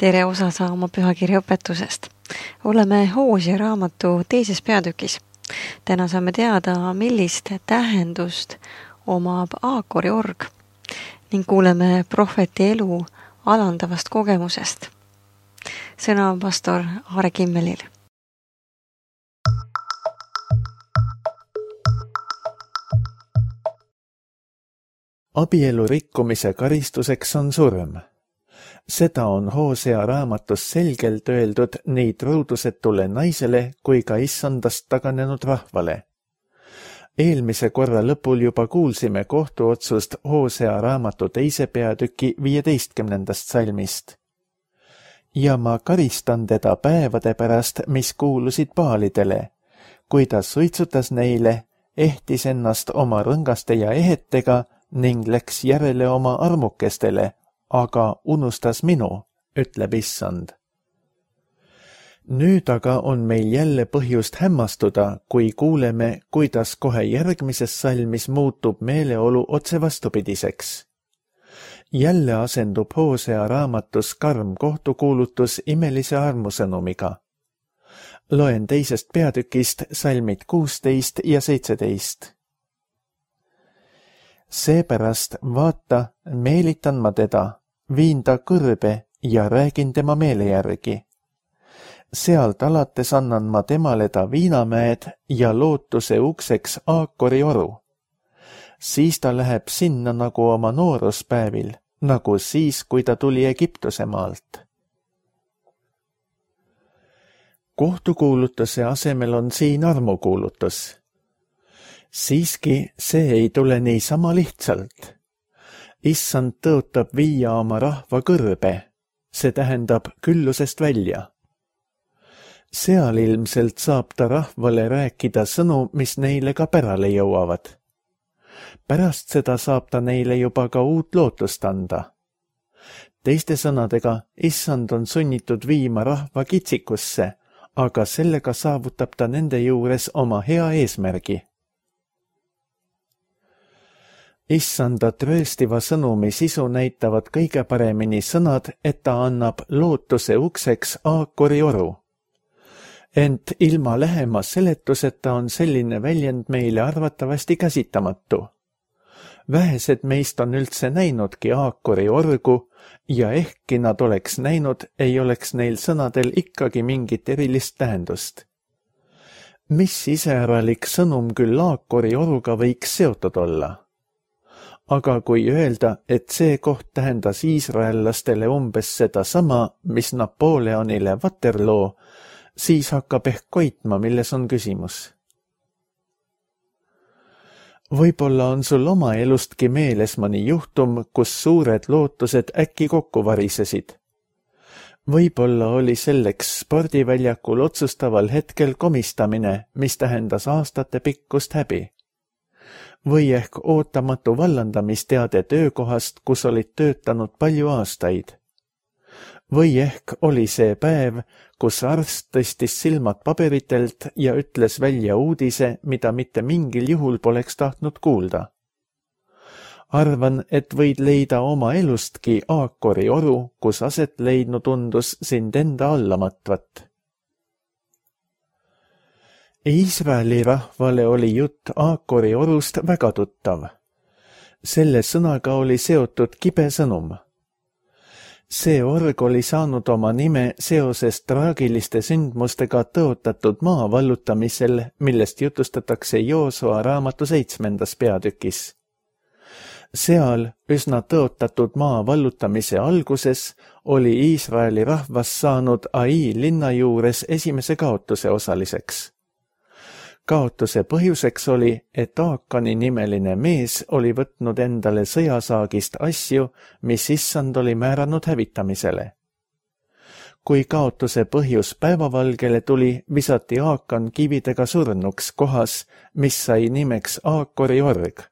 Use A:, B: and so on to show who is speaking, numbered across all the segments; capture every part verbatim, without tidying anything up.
A: Tere osa saama pühakirja õpetusest. Oleme Hoosea raamatu teises peatükis. Täna saame teada, millist tähendust omab Aakori org ning kuuleme prohveti elu alandavast kogemusest. Sõna on pastor Aare Kimmelil.
B: Abielu rikkumise karistuseks on surm. Seda on Hoosea raamatus selgelt öeldud nii truudusetule naisele kui ka issandast taganenud rahvale. Eelmise korra lõpul juba kuulsime kohtuotsust Hoosea raamatu teise peatüki viieteistkümnendast salmist. Ja ma karistan teda päevade pärast, mis kuulusid Baalidele, kui ta suitsutas neile, ehtis ennast oma rõngaste ja ehetega ning läks järele oma armukestele, aga unustas minu, ütleb issand. Nüüd aga on meil jälle põhjust hämmastuda, kui kuuleme, kuidas kohe järgmises salmis muutub meeleolu otse vastupidiseks. Jälle asendub Hoosea raamatus karm kohtukuulutus imelise armusõnumiga. Loen teisest peatükist salmid kuusteist ja seitseteist. Seepärast vaata, meelitan ma teda, viin ta kõrbe ja räägin tema meele järgi. Sealt alates annan ma temale ta viinamäed ja lootuse ukseks Aakori oru. Siis ta läheb sinna nagu oma nooruspäevil, nagu siis, kui ta tuli Egiptuse maalt. Kohtukuulutuse asemel on siin armukuulutus. Siiski see ei tule niisama lihtsalt. Issand tõotab viia oma rahva kõrbe, see tähendab küllusest välja. Seal ilmselt saab ta rahvale rääkida sõnu, mis neile ka pärale jõuavad. Pärast seda saab ta neile juba ka uut lootust anda. Teiste sõnadega, issand on sunnitud viima rahva kitsikusse, aga sellega saavutab ta nende juures oma hea eesmärgi. Issanda trööstiva sõnumi sisu näitavad kõige paremini sõnad, et ta annab lootuse ukseks Aakori oru. Ent ilma lähema seletuseta on selline väljend meile arvatavasti käsitamatu. Vähesed meist on üldse näinudki Aakori orgu ja ehkki nad oleks näinud, ei oleks neil sõnadel ikkagi mingit erilist tähendust. Mis iseäralik sõnum küll Aakori oruga võiks seotud olla? Aga kui öelda, et see koht tähendas iisraellastele umbes seda sama, mis Napoleonile Waterloo, siis hakkab ehk koitma, milles on küsimus. Võib-olla on sul oma elustki meeles mõni juhtum, kus suured lootused äkki kokku varisesid. Võib-olla oli selleks spordiväljakul otsustaval hetkel komistamine, mis tähendas aastate pikkust häbi. Või ehk ootamatu vallandamisteade töökohast, kus olid töötanud palju aastaid. Või ehk oli see päev, kus arst tõstis silmad paberitelt ja ütles välja uudise, mida mitte mingil juhul poleks tahtnud kuulda. Arvan, et võid leida oma elustki Aakori oru, kus aset leidnu tundus sind enda allamatvat. Iisraeli rahvale oli jutt Aakori orust väga tuttav. Selle sõnaga oli seotud kibe sõnum. See org oli saanud oma nime seoses traagiliste sündmustega tõotatud maa vallutamisel, millest jutustatakse Joosua raamatu seitsmendas peatükis. Seal üsna tõotatud maa vallutamise alguses oli Iisraeli rahvas saanud Ai linna juures esimese kaotuse osaliseks. Kaotuse põhjuseks oli, et Aakani nimeline mees oli võtnud endale sõjasaagist asju, mis issand oli määranud hävitamisele. Kui kaotuse põhjus päevavalgele tuli, visati Aakan kividega surnuks kohas, mis sai nimeks Aakori org,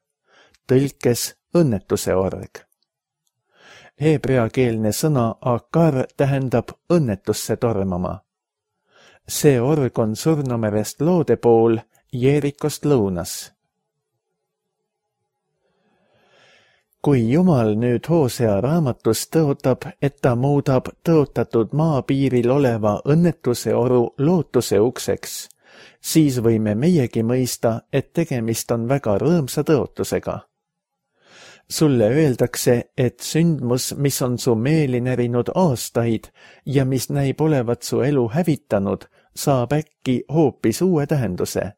B: tõlkes õnnetuse org. Heebreakeelne sõna Akar tähendab õnnetusse tormama. See org on Surnumerest loode pool, Jeerikost lõunas. kui Jumal nüüd Hoosea raamatus tõotab, et ta muudab tõotatud maapiiril oleva õnnetuse oru lootuse ukseks, siis võime meiegi mõista, et tegemist on väga rõõmsa tõotusega. Sulle öeldakse, et sündmus, mis on su meeli närinud aastaid ja mis näib olevat su elu hävitanud, saab äkki hoopis uue tähenduse.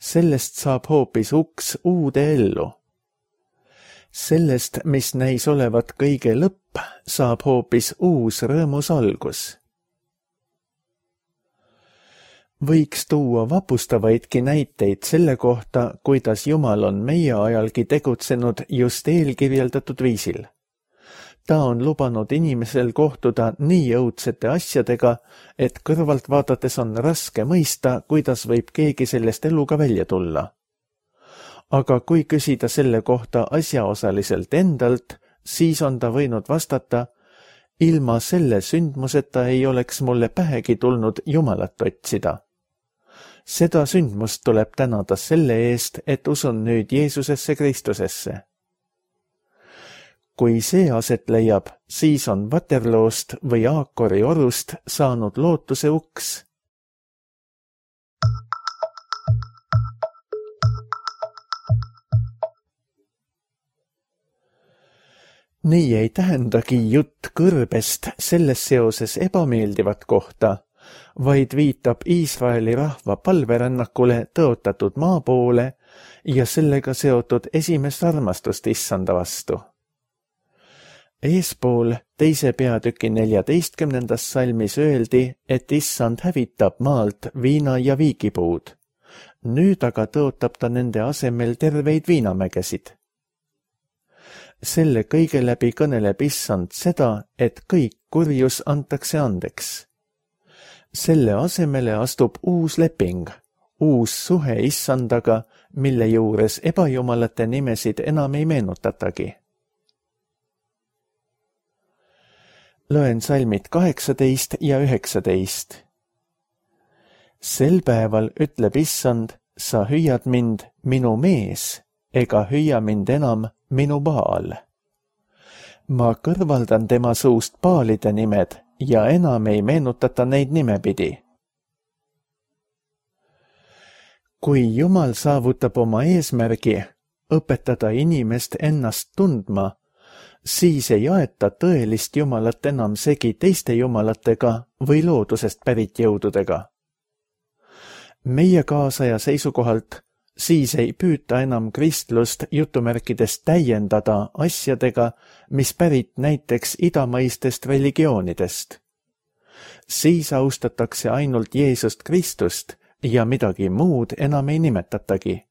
B: Sellest saab hoopis uks uude ellu. Sellest, mis näis olevat kõige lõpp, saab hoopis uus rõõmus algus. Võiks tuua vapustavaidki näiteid selle kohta, kuidas Jumal on meie ajalgi tegutsenud just eelkirjeldatud viisil. Ta on lubanud inimesel kohtuda nii õudsete asjadega, et kõrvalt vaadates on raske mõista, kuidas võib keegi sellest eluga välja tulla. Aga kui küsida selle kohta asjaosaliselt endalt, siis on ta võinud vastata, ilma selle sündmuseta ei oleks mulle pähegi tulnud Jumalat otsida. Seda sündmust tuleb tänada selle eest, et usun nüüd Jeesusesse Kristusesse. Kui see aset leiab, siis on Waterloost või Aakori orust saanud lootuse uks. Nii ei tähendagi jutt kõrbest selles seoses ebameeldivat kohta, vaid viitab Iisraeli rahva palverännakule tõotatud maa poole ja sellega seotud esimest armastust issanda vastu. Eespool teise peatüki neljateistkümnendas salmis öeldi, et issand hävitab maalt viina- ja viigipuud. Nüüd aga tõotab ta nende asemel terveid viinamägesid. Selle kõige läbi kõneleb issand seda, et kõik kurjus antakse andeks. Selle asemele astub uus leping, uus suhe issandaga, mille juures ebajumalate nimesid enam ei meenutatagi. Loen salmid kaheksateist ja üheksateist. Sel päeval ütleb issand, sa hüüad mind minu mees, ega hüüa mind enam minu Baal. Ma kõrvaldan tema suust Baalide nimed ja enam ei meenutata neid nimepidi. Kui Jumal saavutab oma eesmärgi õpetada inimest ennast tundma, siis ei aeta tõelist Jumalat enam segi teiste jumalatega või loodusest pärit jõududega. Meie kaasaja seisukohalt siis ei püüta enam kristlust jutumärkidest täiendada asjadega, mis pärit näiteks idamaistest religioonidest. Siis austatakse ainult Jeesust Kristust ja midagi muud enam ei nimetatagi.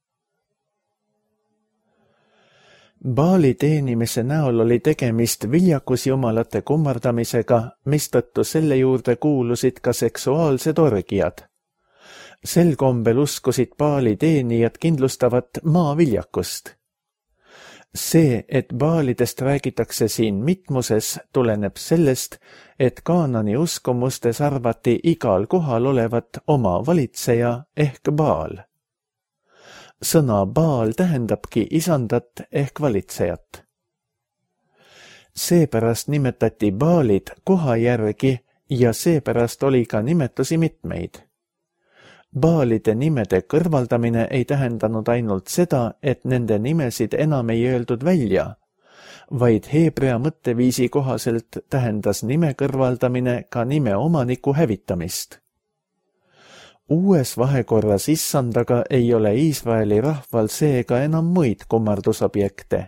B: Baali teenimise näol oli tegemist viljakusjumalate kummardamisega, mistõttu selle juurde kuulusid ka seksuaalsed orgiad. Sel kombel uskusid Baali teenijad kindlustavat maaviljakust. See, et Baalidest räägitakse siin mitmuses, tuleneb sellest, et Kaanani uskumustes arvati igal kohal olevat oma valitseja ehk Baal. Sõna Baal tähendabki isandat ehk valitsejat. Seepärast nimetati Baalid koha järgi ja seepärast oli ka nimetusi mitmeid. Baalide nimede kõrvaldamine ei tähendanud ainult seda, et nende nimesid enam ei öeldud välja, vaid heebrea mõtteviisi kohaselt tähendas nime kõrvaldamine ka nime omaniku hävitamist. Uues vahekorras issandaga ei ole Iisraeli rahval seega enam muid kummardusobjekte.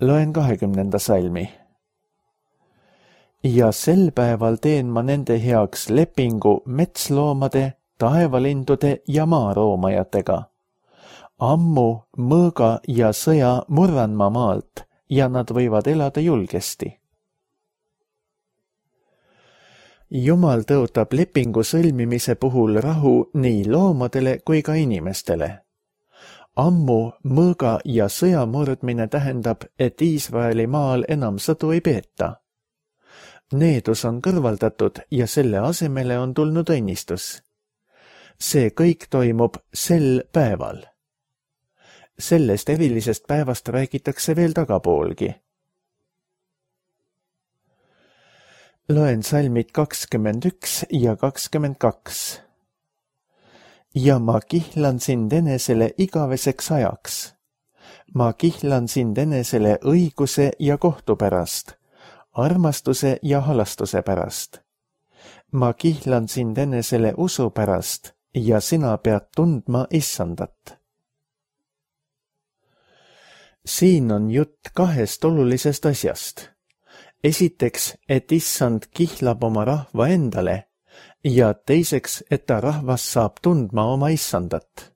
B: Loen kahekümnenda salmi. Ja sel päeval teen ma nende heaks lepingu metsloomade, taevalindude ja maaroomajatega. Ammu, mõõga ja sõja murran ma maalt ja nad võivad elada julgesti. Jumal tõotab lepingu sõlmimise puhul rahu nii loomadele kui ka inimestele. Ammu, mõõga ja sõja murdmine tähendab, et Iisraeli maal enam sõdu ei peeta. Needus on kõrvaldatud ja selle asemele on tulnud õnnistus. See kõik toimub sel päeval. Sellest erilisest päevast räägitakse veel tagapoolgi. Loen salmid kakskümmend üks ja kakskümmend kaks. Ja ma kihlan sind enesele igaveseks ajaks. Ma kihlan sind enesele õiguse ja kohtu pärast, armastuse ja halastuse pärast. Ma kihlan sind enesele usu pärast ja sina pead tundma issandat. Siin on jutt kahest olulisest asjast. Esiteks, et issand kihlab oma rahva endale ja teiseks, et ta rahvas saab tundma oma issandat.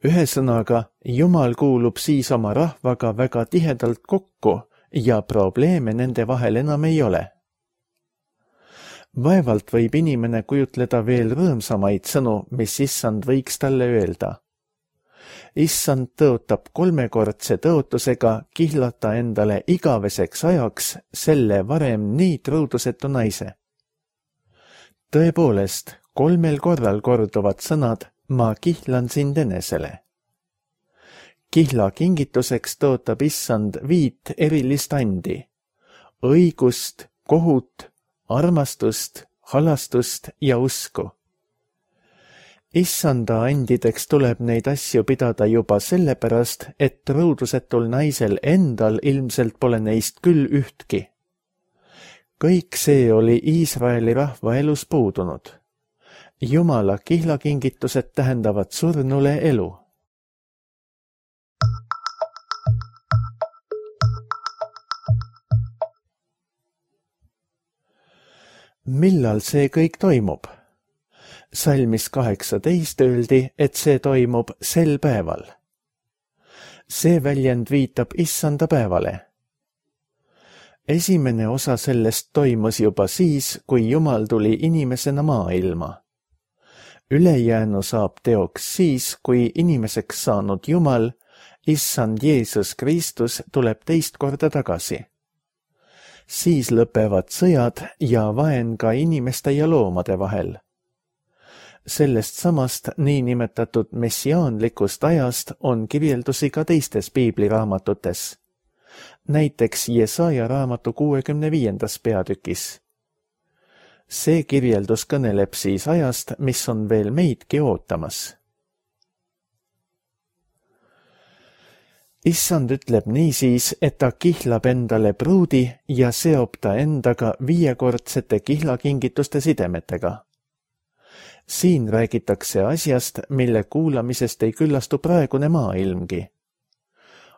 B: Ühesõnaga, Jumal kuulub siis oma rahvaga väga tihedalt kokku ja probleeme nende vahel enam ei ole. Vaevalt võib inimene kujutleda veel rõõmsamaid sõnu, mis issand võiks talle öelda. Issand tõotab kolmekordse tõotusega kihlata endale igaveseks ajaks selle varem nii truudusetu naise. Tõepoolest, kolmel korral korduvad sõnad ma kihlan sind enesele. Kihla kingituseks tõotab issand viit erilist andi. Õigust, kohut, armastust, halastust ja usku. Issanda andideks tuleb neid asju pidada juba sellepärast, et truudusetul naisel endal ilmselt pole neist küll ühtki. Kõik see oli Iisraeli rahva elus puudunud. Jumala kihlakingitused tähendavad surnule elu. Millal see kõik toimub? Salmis kaheksateist öeldi, et see toimub sel päeval. See väljend viitab issanda päevale. Esimene osa sellest toimus juba siis, kui Jumal tuli inimesena maailma. Ülejäänu saab teoks siis, kui inimeseks saanud Jumal, issand Jeesus Kristus, tuleb teist korda tagasi. Siis lõpevad sõjad ja vaen ka inimeste ja loomade vahel. Sellest samast niinimetatud messiaanlikust ajast on kirjeldusi ka teistes piibliraamatutes. Näiteks Jesaja raamatu kuuekümne viiendas peatükis. See kirjeldus kõneleb siis ajast, mis on veel meidki ootamas. Issand ütleb niisiis, et ta kihlab endale pruudi ja seob ta endaga viiekordsete kihlakingituste sidemetega. Siin räägitakse asjast, mille kuulamisest ei küllastu praegune maailmgi.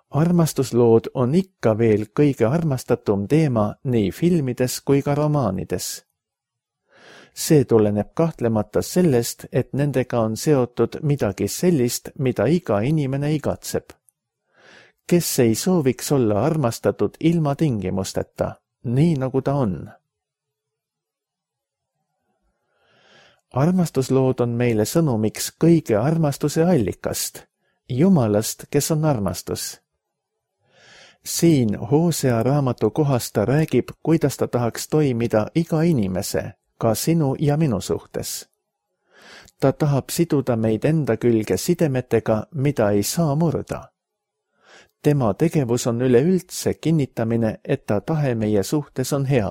B: Armastuslood on ikka veel kõige armastatum teema nii filmides kui ka romaanides. See tuleneb kahtlemata sellest, et nendega on seotud midagi sellist, mida iga inimene igatseb. Kes ei sooviks olla armastatud ilma tingimusteta, nii nagu ta on? Armastuslood on meile sõnumiks kõige armastuse allikast, Jumalast, kes on armastus. Siin Hoosea raamatu kohas ta räägib, kuidas ta tahaks toimida iga inimese, ka sinu ja minu suhtes. Ta tahab siduda meid enda külge sidemetega, mida ei saa murda. Tema tegevus on üleüldse kinnitamine, et ta tahe meie suhtes on hea.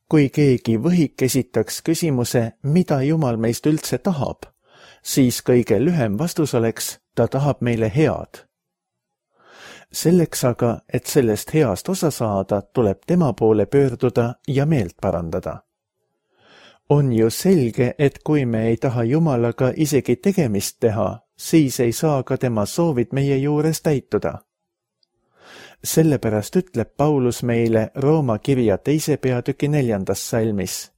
B: Kui keegi võhik esitaks küsimuse, mida Jumal meist üldse tahab, siis kõige lühem vastus oleks, ta tahab meile head. Selleks aga, et sellest heast osa saada, tuleb tema poole pöörduda ja meelt parandada. On ju selge, et kui me ei taha Jumalaga isegi tegemist teha, siis ei saa ka tema soovid meie juures täituda. Sellepärast ütleb Paulus meile Rooma kirja teise peatüki neljandas salmis.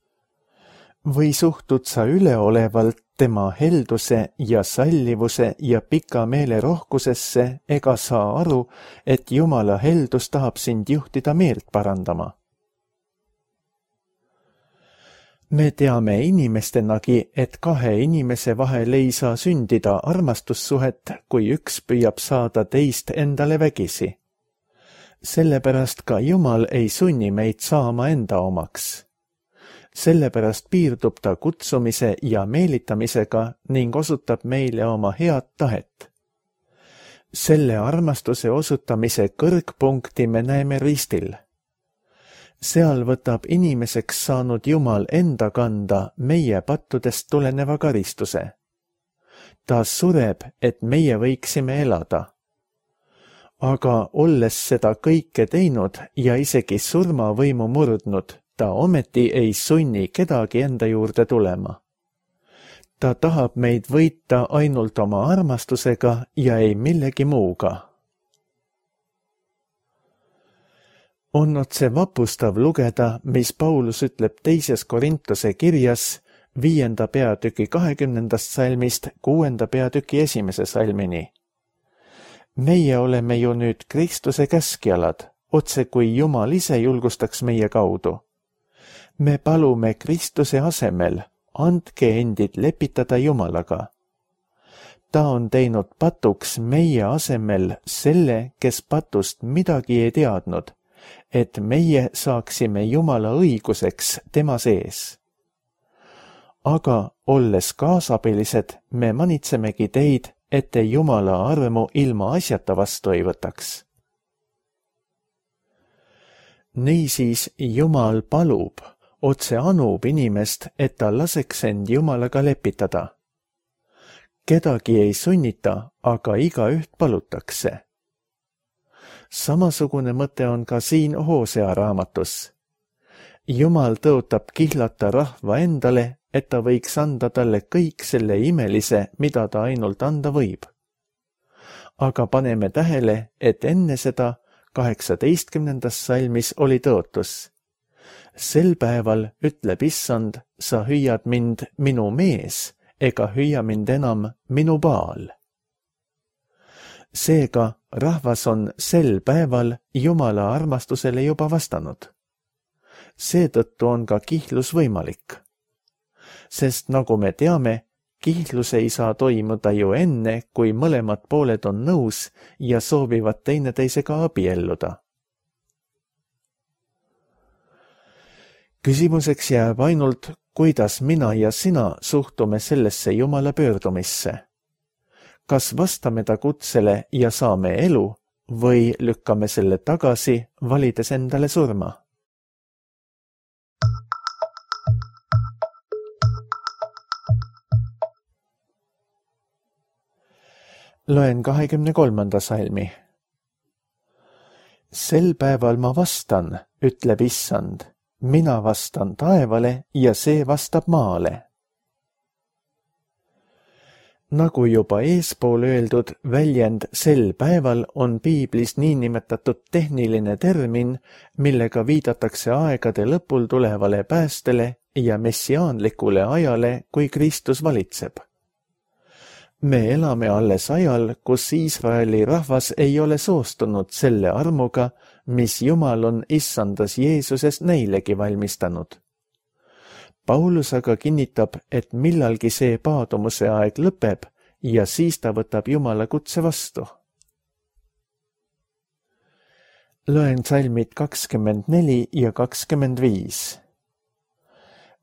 B: Või suhtud sa üleolevalt tema helduse ja sallivuse ja pika meele rohkusesse, ega saa aru, et Jumala heldus tahab sind juhtida meelt parandama. Me teame inimestenagi, et kahe inimese vahel ei saa sündida armastussuhet, kui üks püüab saada teist endale vägisi. Sellepärast ka Jumal ei sunni meid saama enda omaks. Sellepärast piirdub ta kutsumise ja meelitamisega ning osutab meile oma head tahet. selle armastuse osutamise kõrgpunkti me näeme ristil. Seal võtab inimeseks saanud Jumal enda kanda meie pattudest tuleneva karistuse. Ta sureb, et meie võiksime elada. Aga olles seda kõike teinud ja isegi surmavõimu murdnud, ta ometi ei sunni kedagi enda juurde tulema. Ta tahab meid võita ainult oma armastusega ja ei millegi muuga. On otse vapustav lugeda, mis Paulus ütleb teises Korintuse kirjas viienda peatüki kahekümnendast salmist kuuenda peatüki esimese salmini. Meie oleme ju nüüd Kristuse käskjalad, otse kui Jumal ise julgustaks meie kaudu. Me palume Kristuse asemel, andke endid lepitada Jumalaga. Ta on teinud patuks meie asemel selle, kes patust midagi ei teadnud, et meie saaksime Jumala õiguseks tema sees. Aga olles kaasabilised, me manitsemegi teid, et te Jumala armu ilma asjata vastu ei võtaks. Niisiis Jumal palub, otse anub inimest, et ta laseks end Jumalaga lepitada. Kedagi ei sunnita, aga igaüht palutakse. Samasugune mõte on ka siin Hosea raamatus. Jumal tõotab kihlata rahva endale, et ta võiks anda talle kõik selle imelise, mida ta ainult anda võib. Aga paneme tähele, et enne seda kaheksateistkümnendas salmis oli tõotus. Sel päeval, ütleb Issand, sa hüüad mind minu mees, ega hüüa mind enam minu Baal. Seega rahvas on sel päeval Jumala armastusele juba vastanud. Seetõttu on ka kihlus võimalik. Sest nagu me teame, kihlus ei saa toimuda ju enne, kui mõlemad pooled on nõus ja soovivad teineteisega abielluda. Küsimuseks jääb ainult, kuidas mina ja sina suhtume sellesse Jumala pöördumisse. Kas vastame ta kutsele ja saame elu või lükkame selle tagasi, valides endale surma? Loen kahekümne kolmanda salmi. Sel päeval ma vastan, ütleb Issand, mina vastan taevale ja see vastab maale. Nagu juba eespool öeldud, väljend sel päeval on piiblis niinimetatud tehniline termin, millega viidatakse aegade lõpul tulevale päästele ja messiaanlikule ajale, kui Kristus valitseb. Me elame alles ajal, kus Iisraeli rahvas ei ole soostunud selle armuga, mis Jumal on issandas Jeesuses neilegi valmistanud. Paulus aga kinnitab, et millalgi see paadumuse aeg lõpeb ja siis ta võtab Jumala kutse vastu. Loen salmid kakskümmend neli ja kakskümmend viis.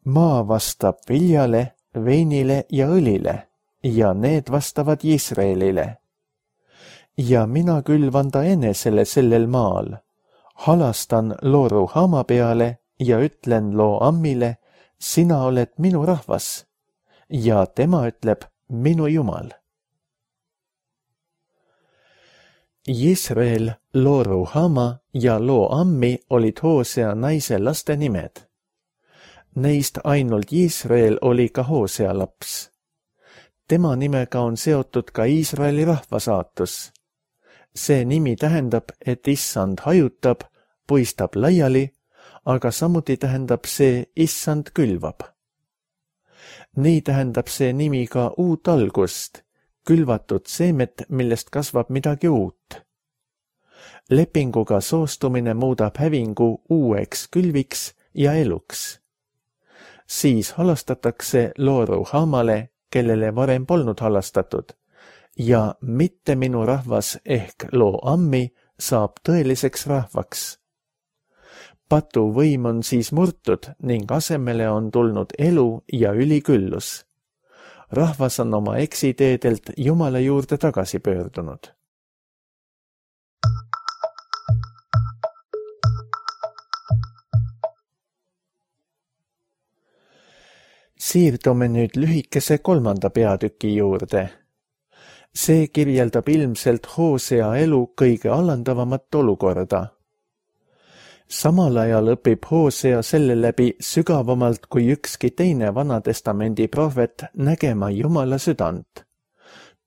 B: Maa vastab viljale, veinile ja õlile ja need vastavad Iisraelile. Ja mina külvan ta enesele sellel maal, halastan looru hama peale ja ütlen loo ammile, sina oled minu rahvas, ja tema ütleb minu Jumal. Iisrael, looru hama ja loo ammi olid Hosea naise laste nimed. Neist ainult Iisrael oli ka Hosea laps. Tema nimega on seotud ka Iisraeli rahva saatus. See nimi tähendab, et Issand hajutab, puistab laiali, aga samuti tähendab see Issand külvab. Nii tähendab see nimi ka uut algust, külvatud seemet, millest kasvab midagi uut. Lepinguga soostumine muudab hävingu uueks külviks ja eluks. Siis halastatakse looru haamale, kellele varem polnud halastatud, ja mitte minu rahvas ehk loo ammi saab tõeliseks rahvaks. Patu võim on siis murtud ning asemele on tulnud elu ja üliküllus. Rahvas on oma eksiteedelt Jumala juurde tagasi pöördunud. Siirdume nüüd lühikese kolmanda peatüki juurde. See kirjeldab ilmselt Hoosea elu kõige alandavamat olukorda. Samal ajal õpib Hoosea selle läbi sügavamalt kui ükski teine Vanatestamendi prohvet nägema Jumala südant.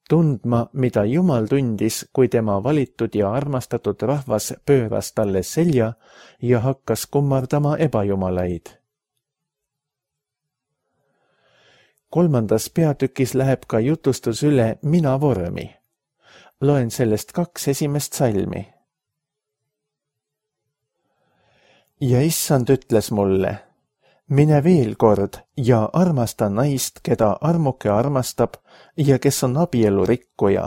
B: Tundma, mida Jumal tundis, kui tema valitud ja armastatud rahvas pööras talle selja ja hakkas kummardama ebajumalaid. Kolmandas peatükis läheb ka jutustus üle mina vormi. Loen sellest kaks esimest salmi. Ja issand ütles mulle, mine veel kord ja armasta naist, keda armuke armastab ja kes on abielurikkuja,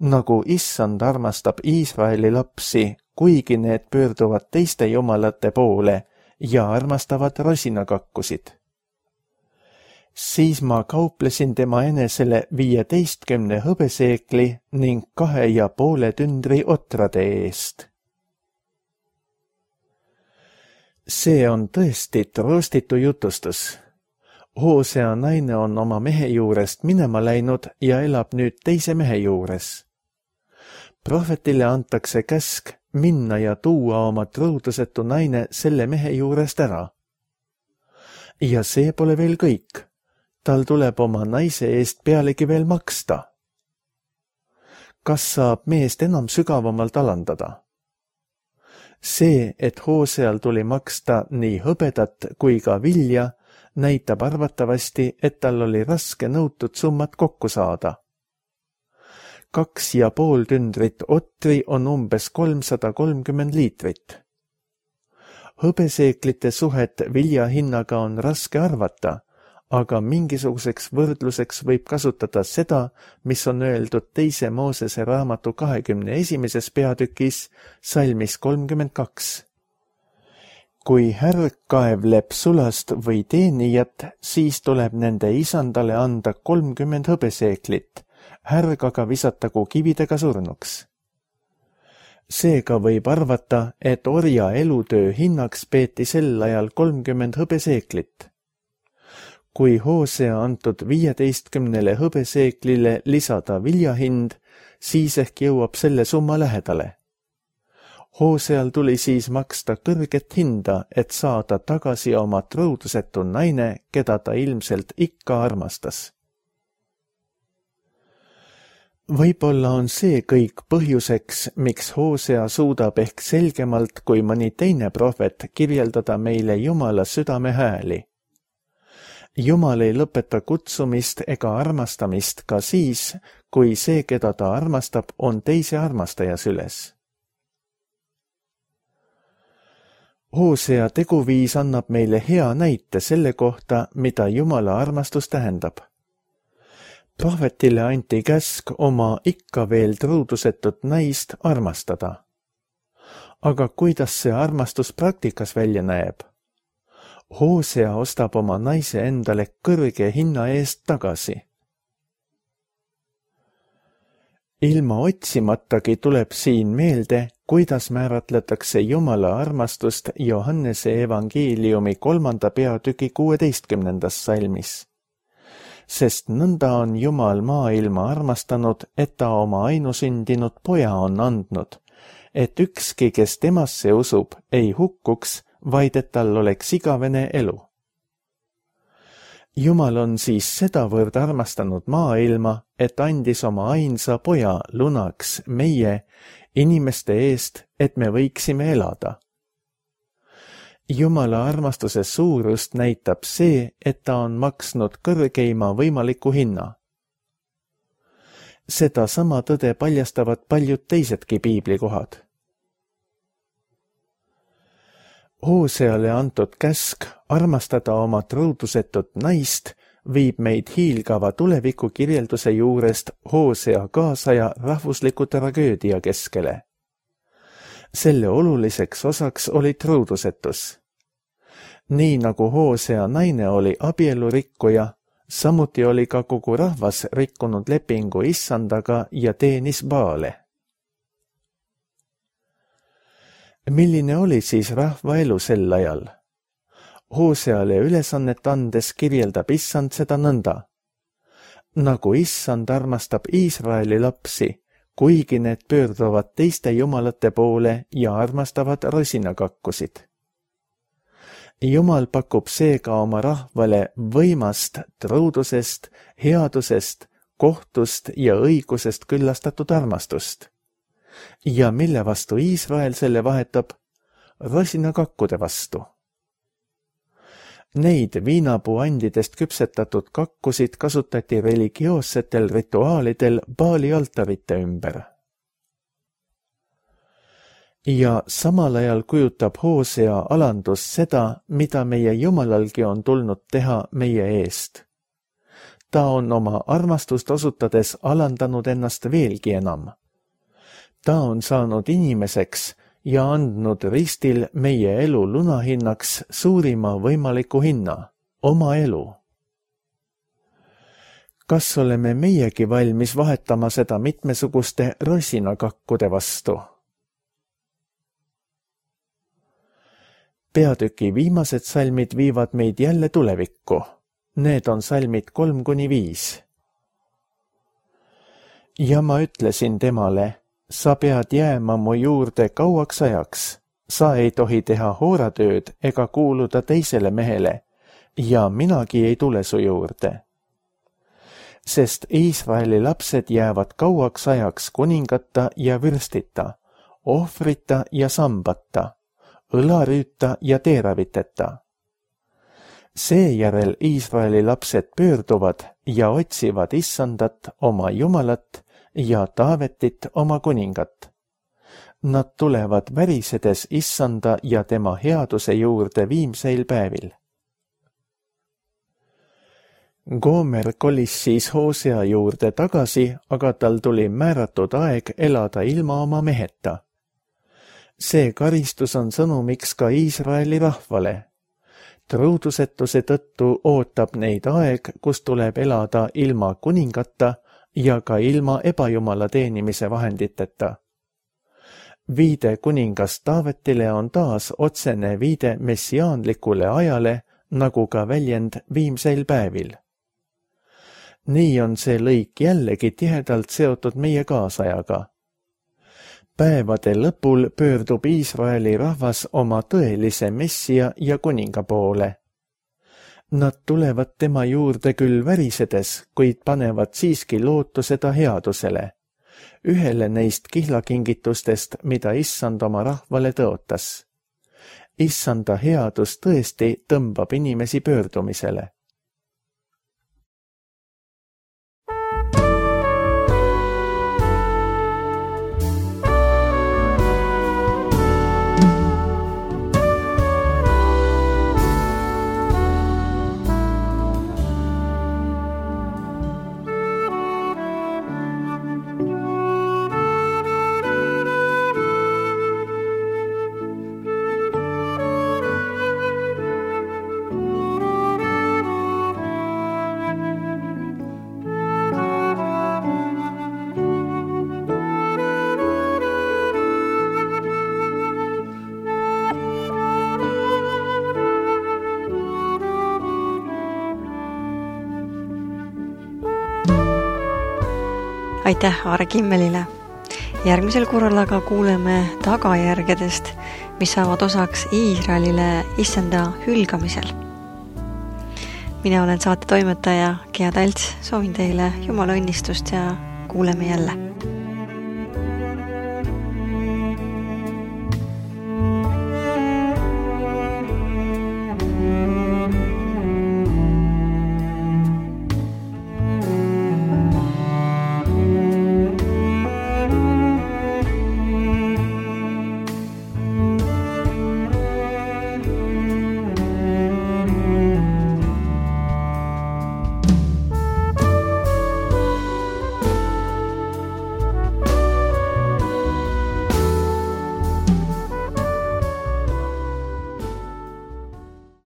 B: nagu issand armastab Iisraeli lapsi, kuigi need pöörduvad teiste jumalate poole ja armastavad rosinakakkusid. Siis ma kauplesin tema enesele viieteistkümne hõbeseekli ning kahe ja poole tündri otrade eest. See on tõesti troostitu jutustus. Hoosea naine on oma mehe juurest minema läinud ja elab nüüd teise mehe juures. Prohvetile antakse käsk minna ja tuua oma truudusetu naine selle mehe juurest ära. Ja see pole veel kõik. Tal tuleb oma naise eest pealegi veel maksta. Kas saab meest enam sügavamalt alandada? See, et Hooseal tuli maksta nii hõbedat kui ka vilja, näitab arvatavasti, et tal oli raske nõutud summat kokku saada. Kaks ja pool tündrit otri on umbes kolmsada kolmkümmend liitrit. Hõbeseeklite suhet vilja hinnaga on raske arvata, aga mingisuguseks võrdluseks võib kasutada seda, mis on öeldud teise Moosese raamatu kahekümne esimeses peatükis, salmis kolmkümmend kaks. Kui härg kaevleb sulast või teenijat, siis tuleb nende isandale anda kolmkümmend hõbeseeklit, härg aga visatagu kividega surnuks. Seega võib arvata, et orja elutöö hinnaks peeti sel ajal kolmkümmend hõbeseeklit. Kui Hoosea antud viieteistkümnele hõbeseeklile lisada viljahind, siis ehk jõuab selle summa lähedale. Hooseal tuli siis maksta kõrget hinda, et saada tagasi oma truudusetu naine, keda ta ilmselt ikka armastas. Võib-olla on see kõik põhjuseks, miks Hoosea suudab ehk selgemalt kui mõni teine prohvet kirjeldada meile Jumala südame hääli. Jumal ei lõpeta kutsumist ega armastamist ka siis, kui see, keda ta armastab, on teise armastaja süles. Hoosea teguviis annab meile hea näite selle kohta, mida Jumala armastus tähendab. Prohvetile anti käsk oma ikka veel truudusetut naist armastada. Aga kuidas see armastus praktikas välja näeb? Hoosea ostab oma naise endale kõrge hinna eest tagasi. Ilma otsimatagi tuleb siin meelde, kuidas määratletakse Jumala armastust Johannese evangeeliumi kolmanda peatüki kuueteistkümnendas salmis. Sest nõnda on Jumal maailma armastanud, et ta oma ainusündinud poja on andnud, et ükski, kes temasse usub, ei hukkuks, vaid et tal oleks igavene elu. Jumal on siis sedavõrd armastanud maailma, et andis oma ainsa poja lunaks meie, inimeste eest, et me võiksime elada. Jumala armastuse suurust näitab see, et ta on maksnud kõrgeima võimaliku hinna. Seda sama tõde paljastavad paljud teisedki piiblikohad. Hooseale antud käsk armastada oma truudusetut naist viib meid hiilgava tuleviku kirjelduse juurest Hoosea kaasaja rahvusliku tragöödia keskele. Selle oluliseks osaks oli truudusetus. Nii nagu Hoosea naine oli abielurikkuja, samuti oli ka kogu rahvas rikkunud lepingu issandaga ja teenis Baale. Milline oli siis rahva elu sel ajal? Hooseale ülesannet andes kirjeldab Issand seda nõnda. Nagu Issand armastab Iisraeli lapsi, kuigi need pöörduvad teiste jumalate poole ja armastavad rosinakakkusid. Jumal pakub seega oma rahvale võimast, truudusest, headusest, kohtust ja õigusest küllastatud armastust. Ja mille vastu Iisrael selle vahetab? Rosinakakkude vastu. Neid viinapuuandidest küpsetatud kakkusid kasutati religioossetel rituaalidel Baali altarite ümber. Ja samal ajal kujutab Hoosea alandus seda, mida meie Jumalalgi on tulnud teha meie eest. Ta on oma armastust osutades alandanud ennast veelgi enam. Ta on saanud inimeseks ja andnud ristil meie elu lunahinnaks suurima võimaliku hinna, oma elu. Kas oleme meiegi valmis vahetama seda mitmesuguste rosinakakkude vastu? Peatüki viimased salmid viivad meid jälle tulevikku. Need on salmid kolm kuni viis. Ja ma ütlesin temale, sa pead jääma mu juurde kauaks ajaks. Sa ei tohi teha hooratööd ega kuuluda teisele mehele, ja minagi ei tule su juurde. Sest Iisraeli lapsed jäävad kauaks ajaks kuningata ja vürstita, ohvrita ja sambata, õlarüüta ja teeraviteta. Seejärel Iisraeli lapsed pöörduvad ja otsivad Issandat oma Jumalat ja Taavetit oma kuningat. Nad tulevad värisedes Issanda ja tema headuse juurde viimseil päevil. Gomer kolis siis Hoosea juurde tagasi, aga tal tuli määratud aeg elada ilma oma meheta. See karistus on sõnumiks ka Iisraeli rahvale. Truudusetuse tõttu ootab neid aeg, kus tuleb elada ilma kuningata ja ka ilma ebajumala teenimise vahenditeta. Viide kuningas Taavetile on taas otsene viide messiaanlikule ajale, nagu ka väljend viimseil päevil. Nii on see lõik jällegi tihedalt seotud meie kaasajaga. Päevade lõpul pöördub Iisraeli rahvas oma tõelise messia ja kuninga poole. Nad tulevad tema juurde küll värisedes, kuid panevad siiski lootuse ta headusele, ühele neist kihlakingitustest, mida Issand oma rahvale tõotas. Issanda headus tõesti tõmbab inimesi pöördumisele.
A: Aitäh Aare Kimmelile. Järgmisel korral aga kuuleme tagajärgedest, mis saavad osaks Iisraelile Issanda hülgamisel. Mina olen saate toimetaja Gea Talts, soovin teile Jumala õnnistust ja kuuleme jälle.